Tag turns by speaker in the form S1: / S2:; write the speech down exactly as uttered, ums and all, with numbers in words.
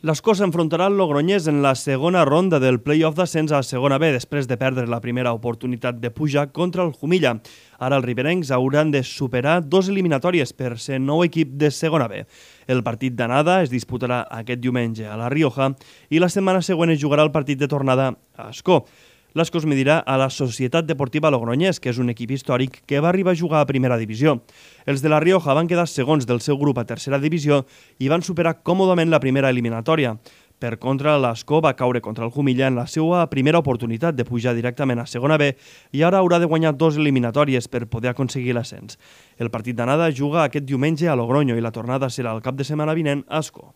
S1: L'Escó s'enfrontarà al Logroñés en la segona ronda del play-off d'ascens a segona B després de perdre la primera oportunitat de pujar contra el Jumilla. Ara els riberencs hauran de superar dos eliminatòries per ser nou equip de segona B. El partit d'anada es disputarà aquest diumenge a La Rioja i la setmana següent es jugarà el partit de tornada a Ascó. L'Escó es medirà a la Societat Deportiva Logroñés, que és un equip històric que va arribar a jugar a primera divisió. Els de La Rioja van quedar segons del seu grup a tercera divisió i van superar còmodament la primera eliminatòria. Per contra, l'Escó va caure contra el Jumilla en la seva primera oportunitat de pujar directament a segona B i ara haurà de guanyar dos eliminatòries per poder aconseguir l'ascens. El partit d'anada juga aquest diumenge a Logroño i la tornada serà el cap de setmana vinent a Ascó.